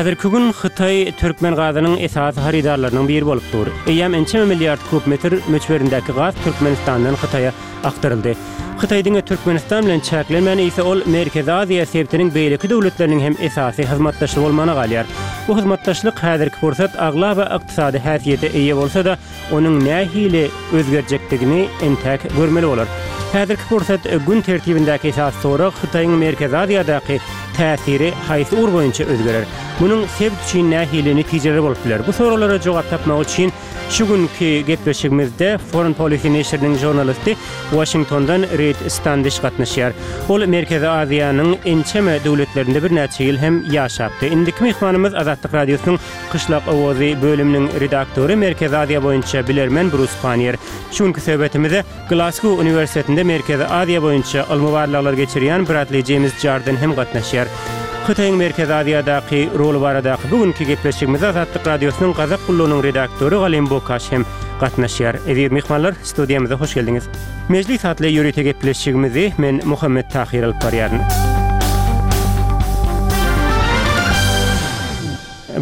Häzirki gün Hytaý türkmen gazynyň esasy hyrydarlarynyň biri bolup dur. Eýýäm ençeme milliard kub metr möçberindäki gaz Türkmenistandan Hytaýa akdyryldy. Hytaý diňe Türkmenistan bilen çäklenmän, eýse ol Merkezi Aziýa sebitiniň beýleki döwletleriniň hem esasy hyzmatdaşy bolmagyna galýar. Bu hyzmatdaşlyk häzirki pursat aglaba ykdysady häsiýete eýe bolsa-da, Onuň nähili özgerjekdigini entäk görmeli bolar. Häzirki pursat gün tertibindäki esasy sorag Hytaýyň Merkezi Aziýadaky täsiri haýsy ugur boýunça özgerer? Munuň sebit üçin nähili netijeleri bolup biler? Bu soraglara jogap tapmak üçin şu günki gepleşigimizde Foreign Policy neşiriniň žurnalisti Waşingtondan Reid Standiş gatnaşýar. Ol Merkezi Aziýanyň ençeme döwletlerinde birnäçe ýyl hem ýaşapdy. Indiki myhmanymyz Azatlyk Radiosynyň Kyşlak owazy bölüminiň redaktory, Merkezi Aziýa boýunça bilermen Brus Pannier. Şu günki söhbetimize Glasgow uniwersitetinde Merkezi Aziýa boýunça ylmy barlaglar geçirýän Bradli Jeýms Jardin hem gatnaşýar. Hytaýyň Merkezi Aziýadaky roly baradaky bu günki gepleşigimize Azatlyk Radiosynyň Gazak gullugynyň redaktory Galym Bokaş hem gatnaşýar. Eziz myhmanlar, studiýamyza hoş geldiňiz. Mejlis atly ýörite gepleşigimizi men Muhammet Tahyr alyp barýaryn.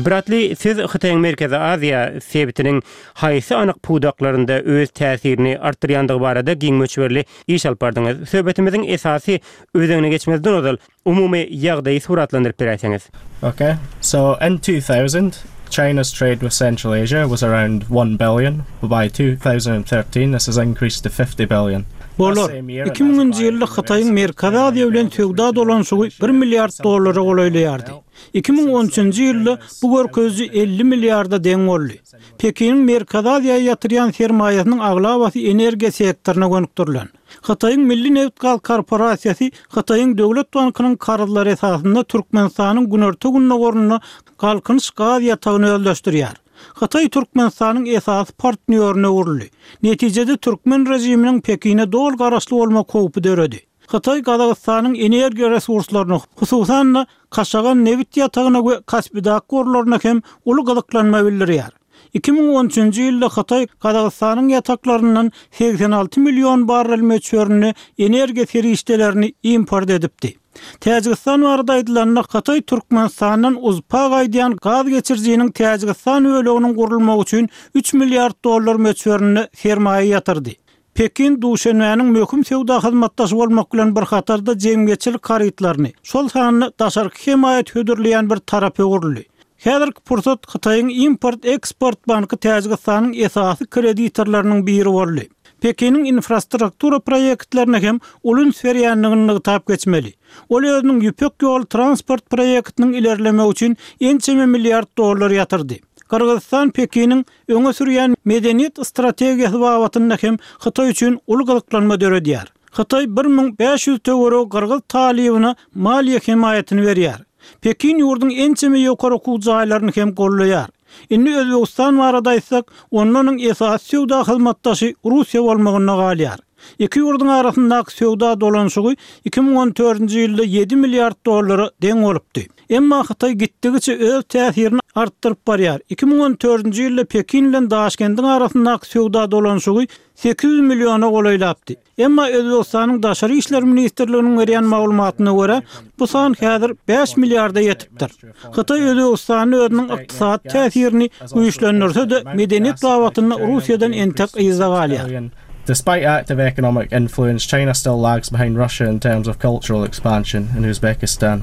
Bradli, siz Hytaýyň Merkezi Aziýa sebitiniň haýsy anyk pudaklarynda öz täsirini artdyrýandygy barada giň möçberli iş alyp bardyňyz. Söhbetimiziň esasy özenine geçmezden ozal, umumy ýagdaýy suratlandyryp beräýseňiz. Okay. So in 2000, China's trade with Central Asia was around 1 billion, but by 2013 this has increased to 50 billion. Bolar. Iki müňünji ýylda Hytaýyň Merkezi Aziýa bilen söwda dolanyşygy bir milliard dollara golaýlaýardy. 2013-nji ýylda bu görkeziji 50 milliarda deň boldy. Pekiniň Merkezi Aziýa ýatyrýan sermaýasynyň aglabasy energiýa sektoryna gönükdirilen. Hytaýyň Milli nebit-gaz korporasiýasy Hytaýyň Döwlet bankynyň karzlary esasynda Türkmenistanyň günorta-gündogarynda Galkynyş gaz ýatagyny özleşdirýär. Hytaý Türkmenistanyň esasy partnýoryna öwrüldi. Netijede türkmen režiminiň Pekine doly garaşly bolmak howpy döredi. Hytaý Gazagystanyň energiýa resurslaryna, hususan-da, Kaşagan nebit ýatagyna we Kaspidak gorlaryna hem uly gyzyklanma bildirýär. 2013-nji ýylda Hytaý Gazagystanyň ýataklaryndan 86 million barrel möçberinde energiýa serişdelerini import edipdi. Täjigistan barada aýdylanda, Hytaý Türkmenistandan UZPA gaýdýan gaz geçirijiniň Täjigistan böleginiň gurulmagy üçin üç milliard dollar möçberinde sermaýa ýatyrdy. Pekin Duşenbäniň möhüm söwda hyzmatdaşy bolmak bilen bir hatarda jemgyýetçilik harytlaryny, şol sanda daşarky hemaýat hödürleýän bir tarapa öwrüldi. Häzirki pursat Hytaýyň Import-eksport banky Täjigistanyň esasy kreditorlarynyň biri boldy. Pekiniň infrastruktura proýektlerine hem uly üns berýändigini nygtap geçmeli. Ol özüniň Ýüpek ýoly transport proýektiniň ilerlemegi üçin ençeme milliard dollar ýatyrdy. Gyrgyzystan Pekiniň öňe sürýän medeniýet strategiýasy babatynda hem Hytaý üçin uly gyzyklanma döredýär. Hytaý 1500 töweregi gyrgyz talybyna maliýe hemaýatyny berýär. Pekin ýurduň ençeme ýokary okuw jaýlaryny hem goldaýar. Indi Özbegistan barada aýtsak, onda onuň esasy söwda hyzmatdaşy Russiýa bolmagynda galýar. Iki ýurduň arasyndaky söwda dolanyşygy 2014-nji ýylda ýedi milliard dollara deň bolupdy. Emma Hytaý gitdigiçe öz täsirini artdyryp barýar. 2014-nji ýylda Pekin bilen Daşkendiň arasyndaky söwda dolanyşygy 800 milliona golaýlapdy. Emma Özbegistanyň Daşary işler ministrliginiň berýän maglumatyna görä, bu san häzir bäş milliarda ýetipdir. Hytaý Özbegistanda özüniň ykdysady täsirini güýçlendirse-de, medeniýet babatynda Russiýadan entek yzda galýar. Despite active economic influence, China still lags behind Russia in terms of cultural expansion in Uzbekistan.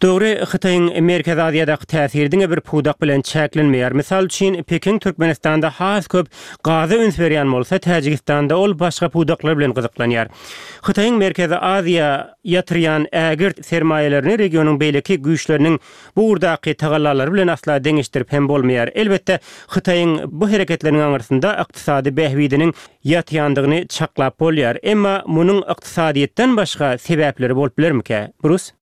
Dogry, Hytaýyň Merkezi Aziýadaky täsiri diňe bir pudak bilen çäklenmeýär. Mysal üçin, Pekin Türkmenistanda has köp gaza üns berýän bolsa, Täjigistanda ol başga pudaklar bilen gyzyklanýar. Hytaýyň Merkezi Aziýa ýatyrýan ägirt sermaýalaryny regionyň beýleki güýçleriniň bu ugurdaky tagallalary bilen asla deňeşdirip hem bolmaýar. Elbetde, Hytaýyň bu hereketleriniň aňyrsynda ykdysady bähbidiniň ýatýandygyny çaklap bolýar. Emma munuň ykdysadyýetden başga sebäpleri bolup bilermikä? Brus?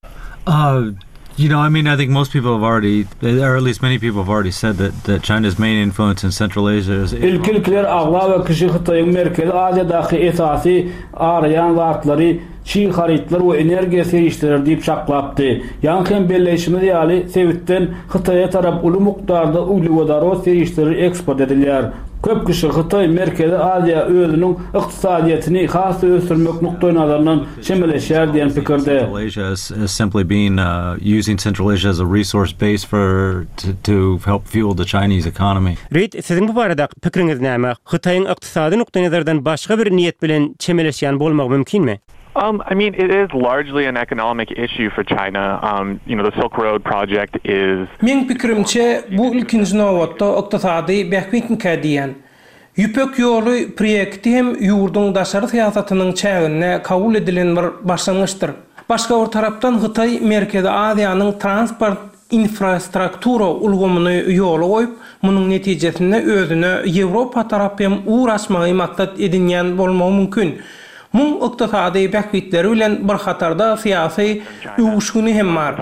Uh, you know, I mean, I think most people have already, or at least many people have already said that, that China's main influence in Central Asia is... Ilki-ilkiler aglaba kişi Hytaýyň Merkezi Aziýadaky esasy araýan zatlary çig harytlar we energiýa serişdeleri diýip çaklapdy. Ýaňky hem belleýşimiz ýaly, sebitden Hytaýa tarap uly mukdarda uglewodorod serişdeleri eksport edilýär. Köp kişi Hytaý Merkezi Aziýa özüniň ykdysadyýetini has-da ösdürmek nukdaýnazaryndan çemeleşýär diýen pikirde. Reid, siziň bu baradaky pikiriňiz näme? Hytaýyň ykdysady nukdaýnazardan başga bir niýet bilen çemeleşýän bolmagy mümkinmi? Um, I mean, it is largely an economic issue for China. Um, you know, the Silk Road project is. Meň pikirimçe, bu ilkinji nobatda ykdysady bähbitmikä diýýän. Ýüpek ýoly proýekti hem ýurduň daşary syýasatynyň çäginde kabul edilen bir başlangyçdyr. Başga bir tarapdan Hytaý Merkezi Aziýanyň transport infrastruktura ulgamyny ýola goýup, munuň netijesinde özüne Ýewropa tarap hem ugur açmagy maksat edinýän bolmagy mümkin. Muň ykdysady bähbitleri bilen bir hatarda syýasy öwüşgini hem bar.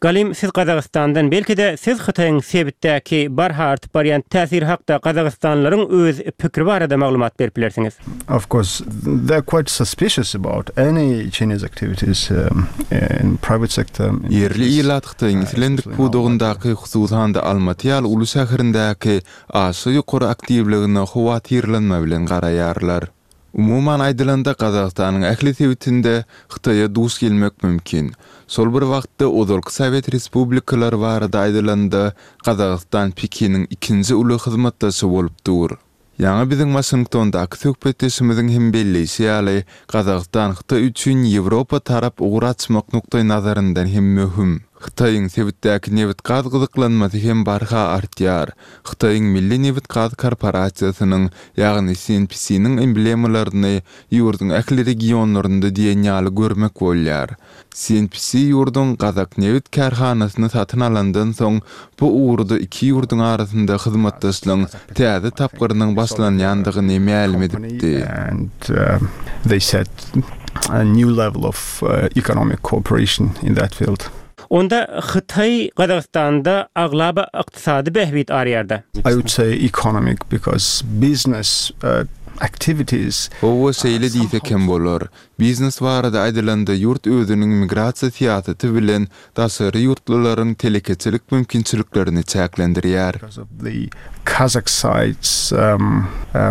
Galym, siz Gazagystandan, belki-de, siz Hytaýyň sebitdäki barha artyp barýan täsiri hakda gazagystanlylaryň öz pikiri barada maglumat berip bilersiňiz. Of course, they are quite suspicious about any Chinese activities in private sector. Ýerli ilat Hytaýyň islendik pudagyndaky, hususan-da Almaty ýaly uly şäherindäki aşa ýokary aktiwligine howatyrlanma bilen garaýarlar. Umuman aýdylanda, Gazagystanyň ähli sebitinde Hytaýa duş gelmek mümkin. Şol bir wagtda, ozalky sowet respublikalary barada aýdylanda, Gazagystan Pekiniň ikinji uly hyzmatdaşy bolup dur. Ýaňy biziň Waşingtondaky söhbetdeşimiziň hem belleýşi ýaly, Gazagystan Hytaý üçin Ýewropa tarap ugur açmak nukdaýnazaryndan hem möhüm. Hytaýyň sebitdäki nebit-gaz gyzyklanmasy hem barha artýar. Hytaýyň Milli nebit-gaz korporasiýasynyň, ýagny CNPC-niň emblemalaryny ýurduň ähli regionlarynda diýen ýaly görmek bolýar. CNPC ýurduň Gazaknebit kärhanasyny satyn alandan soň, bu ugurda iki ýurduň arasynda hyzmatdaşlygyň täze tapgyrynyň başlanýandygyny mälim edipdi. Onda Hytaý Gazagystanda aglaba ykdysady bähbit arýarda. I would say economic because business activities. Hawa, şeýle diýsek hem bolar. Biznes barada aýdylanda ýurt özüniň migrasiýa syýasaty bilen daşary ýurtlularyň telekeçilik mümkinçiliklerini çäklendirýär. Because of the Kazakh side's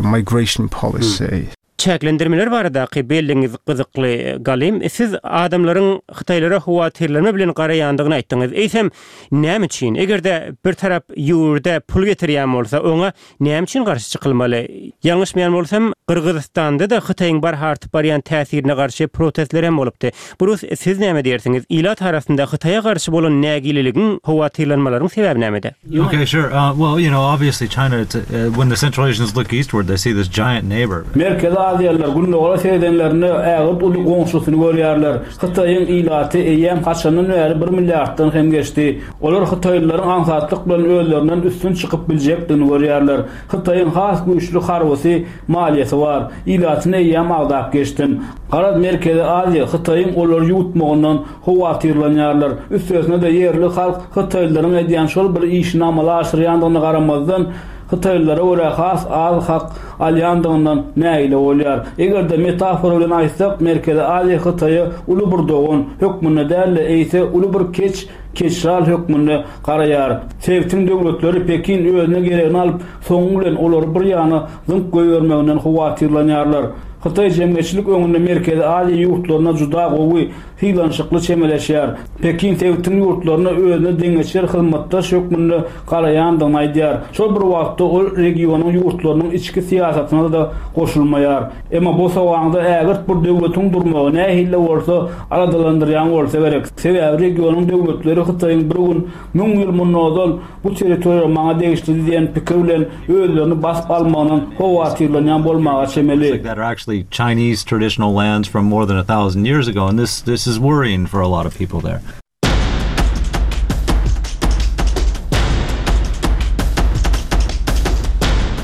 migration policy. Çäklendirmeler baradaky belligiňiz gyzykly, Galym. Siz adamlaryň hytaýlara howatyrlanma bilen garaýandygyny aýtdyňyz. Eýsem, näme üçin? Eger-de bir tarap ýurda pul getirýän bolsa, oňa näme üçin garşy çykylmaly? Ýalňyşmaýan bolsam, Gyrgyzystanda-da Hytaýyň barha artyp barýan täsirine garşy protestler hem bolupdy. Brus, siz näme diýersiňiz? Ilat arasynda Hytaýa garşy bolan nägileligiň, howatyrlanmalaryň sebäbi nämede? Okay, sure. Uh, well, you know, obviously China, it's, uh, when the Central Asians look eastward, they see this giant neighbor. Merkezi Aziýalylar Gündogara seredenlerinde ägirt uly goňşusyny görýärler. Hytaýyň ilaty eýýäm haçandan bäri bir milliarddan hem geçdi. Olar hytaýlylaryň aňsatlyk bilen özlerinden üstün çykyp biljekdigini görýärler. Hytaýyň has güýçli harbysy, maliýesi bar. Ilatyny eýýäm agzap geçdim. Garaz, Merkezi Aziýa Hytaýyň olary ýuwutmagyndan howatyrlanýarlar. Üstesine-de ýerli halk hytaýlylaryň edýän şol bir işini amala aşyrýandygyna garamazdan, hytaýlylara görä has az hak alýandygyndan nägile bolýar. Eger-de metafora bilen aýtsak, Merkezi Aziýa Hytaýa uly bir dogan hökmünde däl-de, eýse uly bir keç keçjal hökmünde garaýar. Sebitiň döwletleri Pekin özüne geregini alyp, soňy bilen olary bir ýana zyňyp goýbermeginden howatyrlanýarlar. Hytaý jemgyýetçilik öňünde Merkezi Aziýa ýurtlaryna juda gowy, sylanyşykly çemeleşýär. Pekin sebitiň ýurtlaryna özüne deňeçer hyzmatdaş hökmünde garaýandygyny aýdýar. Şol bir wagtda ol regionyň ýurtlarynyň içki syýasatyna-da goşulmaýar. Emma bosagaňda ägirt bir döwletiň durmagy nähili-de bolsa aladalandyrýan bolsa gerek. Sebäbi regionyň döwletleri Hytaýyň bir gün müň ýyl mundan ozal bu territoriýa maňa degişlidi diýen pikir bilen özlerini basyp almagyndan howatyrlanýan bolmaga çemeli. that are actually Chinese traditional lands from more than a thousand years ago and this this is worrying for a lot of people there.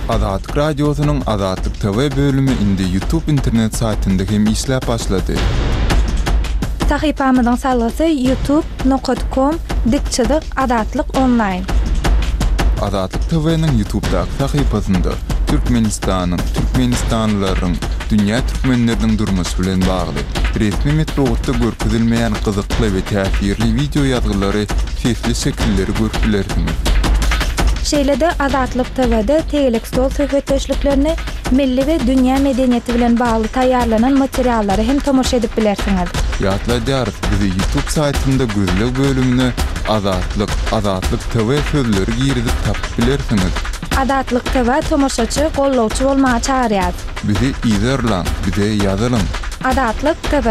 Azatlyk Radiosynyň Azatlyk TV bölümi indi YouTube internet saýtynda hem işläp başlady. Sahypamyzyň salgysy youtube nokat kom dik çyzyk azatlyk onlaýn. Azatlyk TV-niň YouTube'daky sahypasynda. Türkmenistanyň, türkmenistanlylaryň, dünýä türkmenleriniň durmuşy bilen bagly, resmi metbugatda görkezilmeýän gyzykly we täsirli wideo ýazgylary, sesli şekilleri görüp bilersiňiz. Şeýle-de Azatlyk TW-de tegelek stol söhbetdeşliklerini, milli we dünýä medeniýeti bilen bagly taýýarlanan materiallara hem tomaşa edip bilersiňiz. Ýatladýarys, bizi YouTube saýtynda gözleg bölümine Azatlyk, Azatlyk TV sözleri girizip tapyp bilersiňiz. Azatlyk TV tomaşaçy, gollawçy bolmaga çagyrýas. Bizi yzarlaň, bize ýazylyň. Azatlyk TV.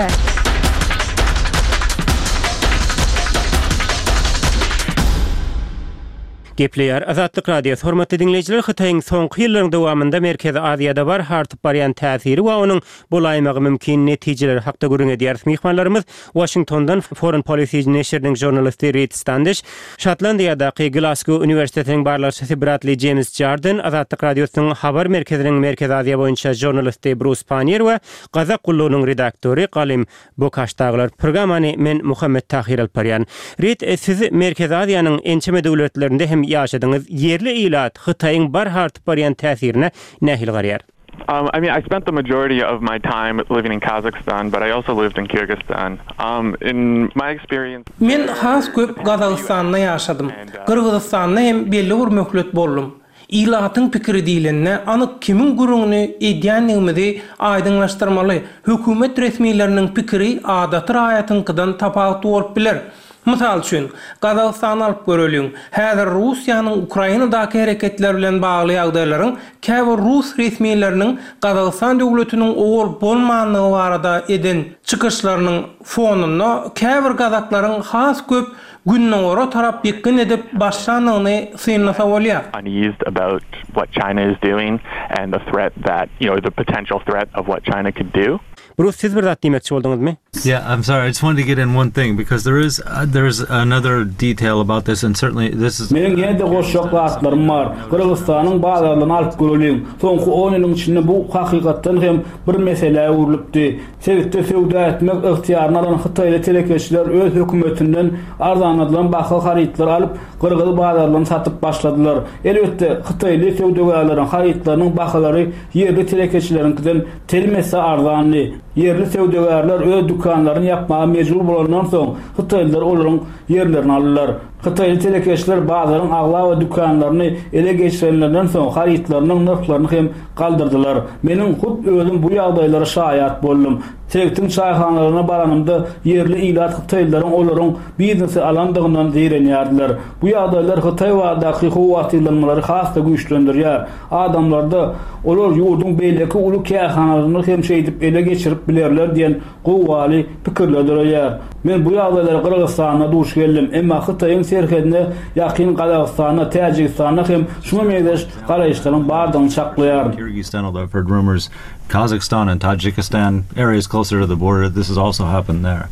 Gepleýär Azatlyk Radiosy, Hormatly diňleýjiler, Hytaýyň soňky ýyllaryň dowamynda Merkezi Aziýada barha artyp barýan täsiri we onuň bolaýmagy mümkin netijeleri hakda gürrüň edýäris. Myhmanlarymyz Waşingtondan Foreign Policy neşiriniň žurnalisti Rid Standiş, Şotlandiýadaky Glasgow uniwersitetiniň barlagçysy Bradli Jeýms Jardin, Azatlyk Radiosynyň Habar merkeziniň Merkezi Aziýa boýunça žurnalisti Brus Pannier we Gazak gullugynyň redaktory Galym Bokaş dagylar. Programmany men Muhammet Tahyr alyp barýan. Rid, siz Merkezi Aziýanyň ençeme döwletlerinde hem ýaşadyňyz. Ýerli ilat Hytaýyň barha artyp barýan täsirine nähili garaýar? Um, I mean, I spent the majority of my time living in Kazakhstan, but I also lived in Kyrgyzstan. Um, in my experience... Men has köp Gazagystanda ýaşadym. Gyrgyzystanda hem belli bir möhlet boldum. Ilatyň pikiri diýlende, anyk kimiň gürrüňini edýändigimizi aýdyňlaşdyrmaly. Hökümet resmileriniň pikiri adaty raýatyňkydan tapawutly bolup biler. Mysal üçin, Gazagystany alyp göreliň. Häzir Russiýanyň Ukrainadaky hereketleri bilen bagly ýagdaýlaryň käbir rus resmileriniň Gazagystan döwletiniň owal bolmandygy barada eden çykyşlarynyň fonunda käbir gazaklaryň has köp Gündogara tarap ýykgyn edip başlandygyny synlasa bolýar. uneased about what China is doing and the threat that, you know, the potential threat of what China could do. Brus, siz bir zat diýmekçi bolduňyzmy? Yeah, I'm sorry. I just wanted to get in one thing because there is there is another detail about this and certainly this is Meniň ýene-de goşjak zatlarym bar. Gyrgyzystanyň bazarlaryny alyp göreliň. Soňky on ýylyň içinde bu hakykatdan hem bir meselä öwrülipdi. Sebitde söwda etmek ygtyýaryny alan hytaýly telekeçiler öz hökümetinden arzanladylan baha harytlary alyp, gyrgyz bazarlarynda satyp başladylar. Elbetde, hytaýly söwdagärleriň harytlarynyň bahalary ýerli telekeçileriňkiden telim esse arzandy. Ýerli söwdagärler öz dükanlaryny ýapmaga mejbur bolandan soň, hytaýlylar olaryň ýerlerini aldylar. Hytaýly telekeçiler bazaryň aglaba dükanlaryny ele geçirenlerinden soň harytlarynyň nyrhlaryny hem galdyrdylar. Meniň hut özüm bu ýagdaýlara şaýat boldum. Sebitiň çaýhanalaryna baranymda ýerli ilat hytaýlylaryň olaryň biznesi alandygyndan zeýrenýärdiler. Bu ýagdaýlar Hytaý baradaky howatyrlanmalary has-da güýçlendirýär. Adamlarda olar ýurduň beýleki uly kärhanalaryny hem şeýdip ele geçirip bilerler diýen gowgaly pikirler döreýär. Men bu ýagdaýlara Gyrgyzystanda duş geldim, emma Hytaýyň serhedine ýakyn Gazagystanda, Täjigistanda hem şuňa meňzeş garaýyşlaryň bardygyny çaklaýaryn. Kyrgyzstan, although I've heard rumors Kazakhstan and Tajikistan, areas closer to the border, this has also happened there.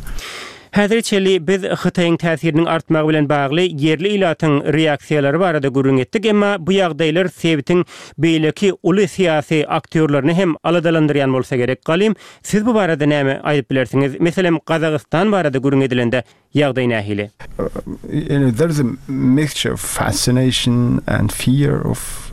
Häzire çenli biz Hytaýyň täsiriniň artmagy bilen bagly ýerli ilatyň reaksiýalary barada gürrüň etdik, emma bu ýagdaýlar sebitiň beýleki uly syýasy aktýorlaryny hem aladalandyrýan bolsa gerek. Galym, siz bu barada näme aýdyp bilersiňiz? Meselem, Gazagystan barada gürrüň edilende, ýagdaý nähili? You know, there's a mixture of fascination and fear of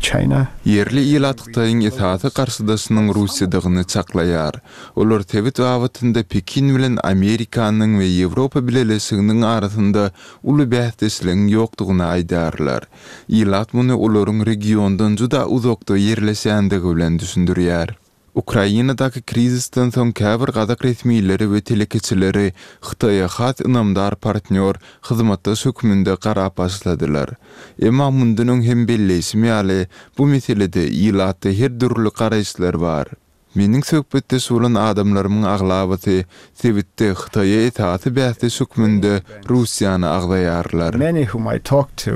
China. Ýerli ilat Hytaýyň esasy garşydaşynyň Russiýadygyny çaklaýar. Olar sebit babatynda Pekin bilen Amerikanyň we Ýewropa Bileleşiginiň arasynda uly bäsdeşligiň ýokdugyny aýdýarlar. Ilat muny olaryň regiondan juda uzakda ýerleşýändigi bilen düşündirýär. Ukrainadaky krizisden soň käbir gazak resmileri we telekeçileri Hytaýa has ynamdar partnýor, hyzmatdaş hökmünde garap başladylar. Emma mundan öň hem belleýşim ýaly, bu meselede ilatda her dürli garaýyşlar bar. Meniň söhbetdeş bolan adamlarymyň aglabasy sebitde Hytaýa esasy bäsdeş hökmünde Russiýany agzaýarlar. Many whom I talk to,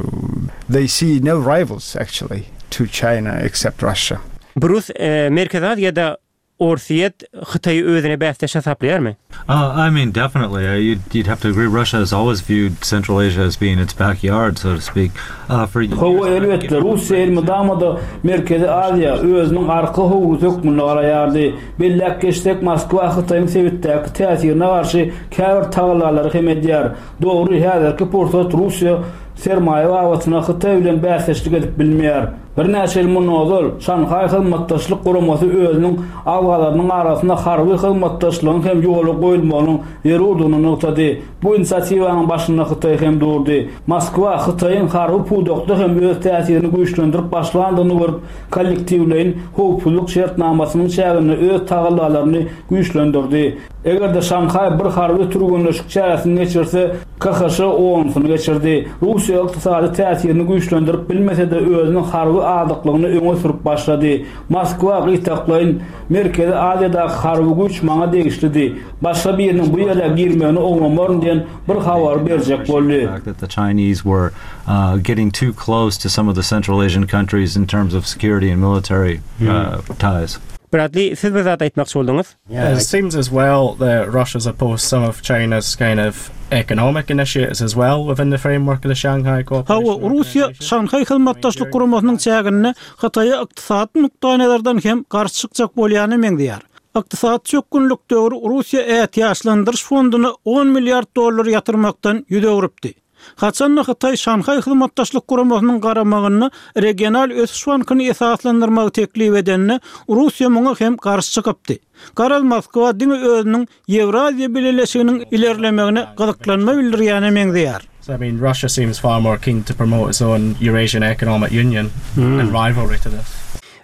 they see no rivals actually to China except Russia. Brus, Merkezi Aziýada Orsýet Hytaýy özüne bäsdeş hasaplaýarmy? I mean definitely you'd you'd have to agree Russia has always viewed Central Asia as being its backyard so to speak for Hawa elbetde Russiýa elmydama-da Merkezi Aziýa özüniň arka howlusy hökmünde garaýardy. Belläp geçsek Moskwa Hytaýyň sebitdäki täsirine garşy käbir tagallalary hem edýär. Dogry häzirki pursat Russiýa sermaýa babatynda Hytaý bilen bäsdeşlik edip bilmeýär. Birnäçe ýyl mundan ozal, Şanhaý Hyzmatdaşlyk Guramasy özüniň agzalarynyň arasynda harby hyzmatdaşlygyň hem ýola goýulmagynyň zerurdygyny nygtady. Bu inisiatiwanyň başynda Hytaý hem durdy. Moskwa Hytaýyň harby pudakda hem öz täsirini güýçlendirip başlandygyny görüp, kollektiwleýin howpsuzlyk şertnamasynyň çäginde öz tagallalaryny güýçlendirdi. Eger-de Şanhaý bir harby türgenleşik çäresini geçirse, KHŞ onusyny geçirdi. Russiýa ykdysady täsirini güýçlendirip bilmese-de özüniň harby azyklygyny öňe sürüp başlady. Moskwa gytaklaýyn, Merkezi Aziýadaky harby güýç maňa degişlidi. Başga biriniň bu ýere girmegini oňlamaryn diýen bir habary berjek boldy. Bradli, siz bir zat aýtmakçy bolduňyz? It seems as well that Russia's opposed some of China's kind of economic initiatives as well within the framework of the Shanghai Cooperation Hawa, Russiýa Şanhaý Hyzmatdaşlyk Guramasynyň çäginde Hytaýa ykdysady nukdaýnazardan hem garşy çykjak bolýana meňzeýär. Ykdysady çökgünlik döwri Russiýa ätiýaçlandyryş fonduna on milliard dollar ýatyrmakdan ýüz öwrüpdi. Haçan-da Hytaý Şanhaý Hyzmatdaşlyk Guramasynyň garamagynda Regional ösüş bankyny esaslandyrmagy teklip edende, Russiýa muňa hem garşy çykypdy. Garaz, Moskwa diňe özüniň Ýewraziýa Bileleşiginiň ilerlemegine gyzyklanma bildirýäne meňzeýär. So I mean Russia seems far more keen to promote its own Eurasian Economic Union in rivalry to this.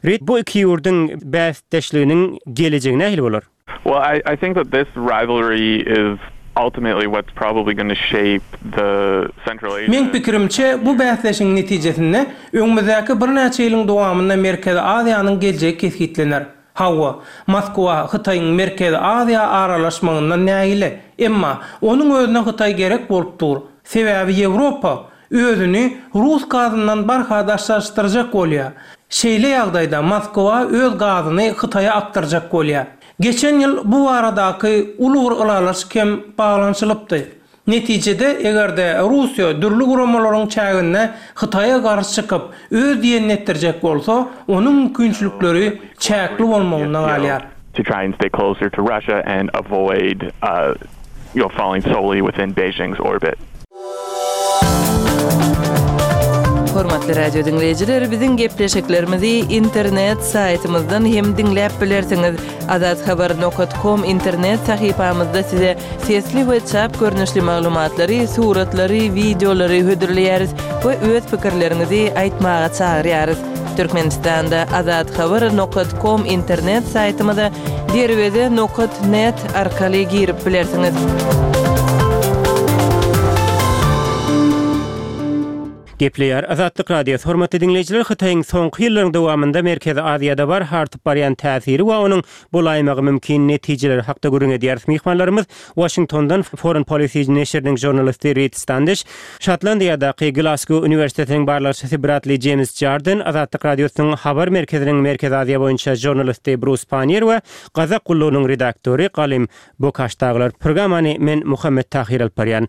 Rid, bu iki ýurduň bäsdeşliginiň gelejegi nähili bolar? Well, I I think that this rivalry is ultimately what's probably gonna shape the Central Asia. Meň pikirimçe, bu bäsleşigiň netijesinde öňümizdäki birnäçe ýylyň dowamynda Merkezi Aziýanyň geljegi kesgitlener. Hawa, Moskwa Hytaýyň Merkezi Aziýa aralaşmagyndan nägile. Emma, onuň özüne Hytaý gerek bolup dur. Sebäbi Ýewropa özüni rus gazyndan barha daşlaşdyrjak bolýar. Şeýle ýagdaýda Moskwa öz gazyny Hytaýa akdyrjak bolýar. Geçen ýyl bu baradaky uly bir ylalaşyk hem baglanyşylypdy. Netijede, eger-de Russiýa dürli guramalaryň çäginde Hytaýa garşy çykyp, öz diýenini etdirjek bolsa, onuň mümkinçilikleri çäkli bolmagynda galýar. to try and stay closer to Russia and avoid you know falling solely within Beijing's orbit. Hormatly radio diňleýjiler, biziň gepleşiklerimizi internet saýtymyzdan hem diňläp bilersiňiz. Azathabar nokat kom internet sahypamyzda size sesli we çap görnüşli maglumatlary, suratlary, wideolary hödürleýäris we öz pikirleriňizi aýtmaga çagyrýarys. Türkmenistanda Azathabar nokat kom internet saýtymyza Derweze nokat net arkaly girip bilersiňiz. Gepleýär Azatlyk Radiosy, Hormatly diňleýjiler, Hytaýyň soňky ýyllaryň dowamynda Merkezi Aziýada barha artyp barýan täsiri we onuň bolaýmagy mümkin netijeleri hakda gürrüň edýäris. Myhmanlarymyz Waşingtondan Foreign Policy neşiriniň žurnalisti Rid Standiş, Şotlandiýadaky Glasgow uniwersitetiniň barlagçysy Bradli Jeýms Jardin, Azatlyk Radiosynyň Habar merkeziniň Merkezi Aziýa boýunça žurnalisti Brus Pannier we Gazak gullugynyň redaktory Galym Bokaş dagylar. Programmany men Muhammet Tahyr alyp barýan.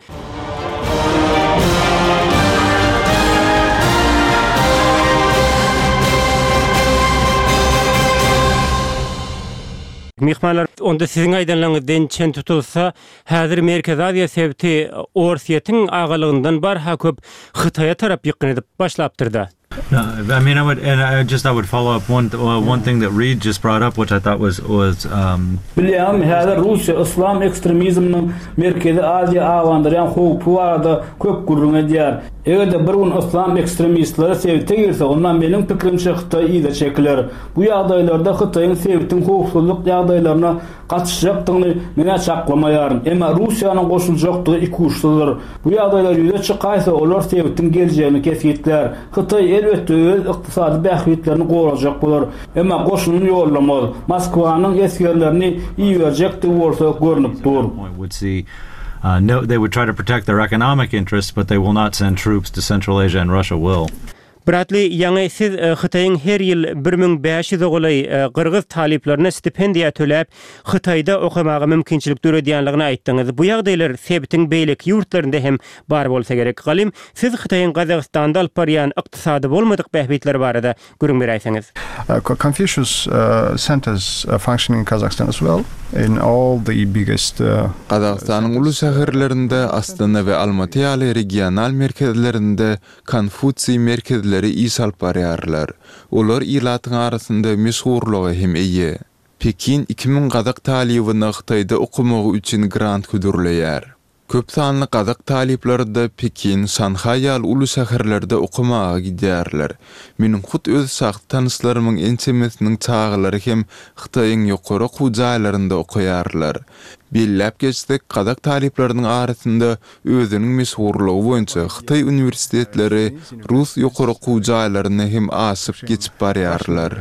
Myhmanlar, onda siziň aýdanlaryňyzdan çen tutulsa, häzir Merkezi Aziýa sebiti Orsýetiň agalygyndan barha köp Hytaýa tarap ýykgyn edip başlapdyr-da. I mean, I would, and I just, I would follow up one, one thing that Reed just brought up, which I thought was, was, um. Bilýäňizmi, häzir Russiýa yslam ekstremizminiň Merkezi Aziýa abandyrýan howpy barada köp gürrüň edýär. Eger-de bir gün yslam ekstremistleri sebite girse, onda meniň pikirimçe Hytaý yza çekiler. Bu ýagdaýlarda Hytaýyň sebitiň howpsuzlyk ýagdaýlaryna gatyşjakdygyny men-ä çaklamaýaryn. Emma Russiýanyň goşuljakdygy ikuçsuzdyr. Bu ýagdaýlar ýüze çykaýsa, olar sebitiň geljegini kesgitlär. Hytaý, elbetde, öz ykdysady bähbitlerini gorajak bolar. Emma goşunyny ýollamaz. Moskwanyň esgerlerini iberjekdigi bolsa görnüp dur. They would try to protect their economic interests, but they will not send troops to Central Asia and Russia will. Bradli, ýaňy siz Hytaýyň her ýyl 1500-e golaý gyrgyz talyplaryna stipendiýa töläp, Hytaýda okamaga mümkinçilik döredýänligini aýtdyňyz. Bu ýagdaýlar sebitiň beýleki ýurtlarynda hem bar bolsa gerek. Galym, siz Hytaýyň Gazagystanda alyp barýan ykdysady bolmadyk bähbitleri barada gürrüň beräýseňiz. Confucius centers are functioning in Kazakhstan as well in all the biggest. Gazagystanyň uly şäherlerinde, Astana we Almaty ýaly regional merkezlerinde Konfusiý merkezleri. şereketleri iş alyp barýarlar. Olar ilatyň arasynda meşhurlyga hem eýe. Pekin 2000 gazak talybyna Hytaýda okamagy üçin grant hödürleýär. Köp sanly gazak talyplary-da Pekin, Şanhaý ýaly uly şäherlerde okamaga gidýärler. Meniň hut öz şahsy tanyşlarymyň ençemesiniň çagalary hem Hytaýyň ýokary okuw jaýlarynda okaýarlar. Belläp geçsek, gazak talyplarynyň arasynda özüniň meşhurlygy boýunça hytaý uniwersitetleri rus ýokary okuw jaýlaryny hem aşyp geçip barýarlar.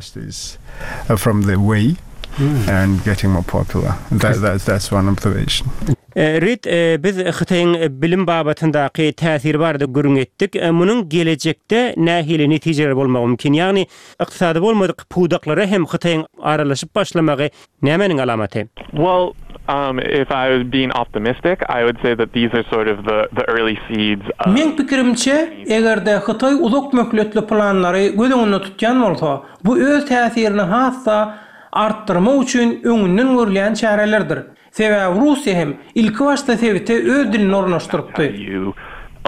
Rid, biz Hytaýyň bilim babatyndaky täsiri barada gürrüň etdik. Munuň gelejekde nähili netijeleri bolmagy mümkin? Ýagny, ykdysady bolmadyk pudaklara hem Hytaýyň aralaşyp başlamagy Nämäniň alamaty? Well, um, if I was being optimistic, I would say that these are sort of the the early seeds of. Meň pikirimçe, eger-de Hytaý uzak möhletli planlary göz öňünde tutýan bolsa, bu öz täsirini has-da artdyrmak üçin öňünden görülýän çärelerdir. Sebäbi Russiýa hem ilkibaşda sebite öz dilini ornaşdyrypdy.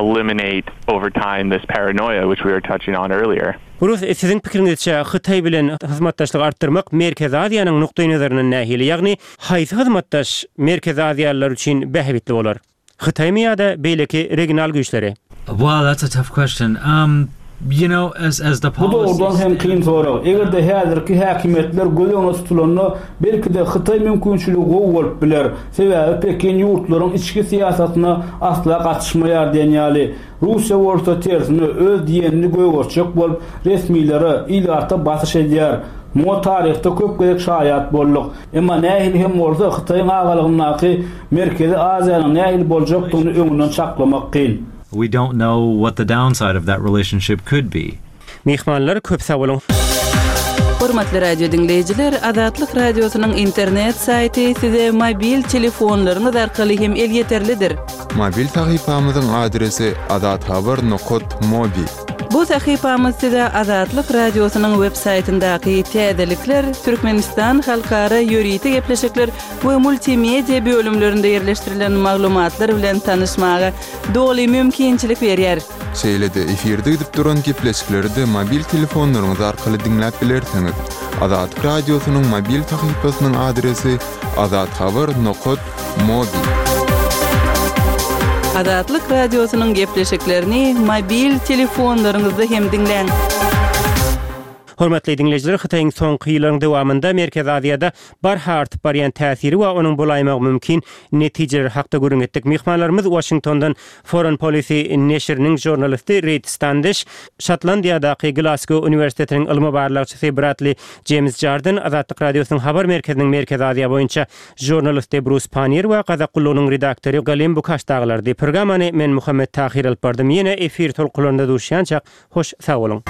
Eliminate over time this paranoia which we were touching on earlier. Rus, siziň pikiriňizçe Hytaý bilen hyzmatdaşlygy artdyrmak Merkezi Aziýanyň nukdaýnazaryndan nähili, ýagny haýsy hyzmatdaş Merkezi Aziýalylar üçin bähbitli bolar? Hytaýmy ýa-da beýleki regional güýçleri? Well, that's a tough question. Um, you know, as as the Bu policy dogrudan hem kyn sorag. Eger-de häzirki häkimiýetler göz öňünde tutulanda, belki-de Hytaý mümkinçiligi gowy bolup biler. Sebäbi Pekin ýurtlaryň içki syýasatyna asla gatyşmaýar diýen ýaly. Russiýa bolsa tersine öz diýenini gögertjek bolup, resmilere, ilata basyş edýär. Muňa taryhda köp gezek şaýat bolduk. Emma nähili hem bolsa Hytaýyň agalygyndaky Merkezi Aziýanyň nähili boljakdygyny öňünden çaklamak kyn. We don't know what the downside of that relationship could be. Myhmanlar köp sag boluň. Hormatly radio diňleýjiler, Azatlyk Radiosynyň internet saýty size mobil telefonlaryňyz arkaly hem elýeterlidir. Mobil sahypamyzyň adresi azathabar nokat mobi. Bu sahypamyz size Azatlyk Radiosynyň web saýtyndaky täzelikler, Türkmenistan halkara ýörite gepleşikler we multimedia bölümlerinde ýerleşdirilen maglumatlar bilen tanyşmaga doly mümkinçilik berýär. Şeýle-de efirde gidip duran gepleşikleri-de mobil telefonlaryňyz arkaly diňläp bilersiňiz. Azatlyk Radiosynyň mobil sahypasynyň adresi azathabar nokat mobi. Azatlyk Radiosynyň gepleşiklerini mobil telefonlaryňyzda hem diňläň. Hormatly diňleýjiler, Hytaýyň soňky ýyllaryň dowamynda Merkezi Aziýada barha artyp barýan täsiri we onuň bolaýmagy mümkin netijeleri hakda gürrüň etdik. Myhmanlarymyz Waşingtondan Foreign Policy neşiriniň žurnalisti Reid Standiş, Şotlandiýadaky Glasgow uniwersitetiniň ylmy barlagçysy Bradli Jeýms Jardin, Azatlyk Radiosynyň habar merkeziniň Merkezi Aziýa boýunça žurnalisti Brus Panniýer we Gazak gullugynyň redaktory Galym Bukaş dagylardy. Programmany men Muhammet Tahyr alyp bardym. Ýene efir tolkunlarynda duşýançak, Hoş sag boluň.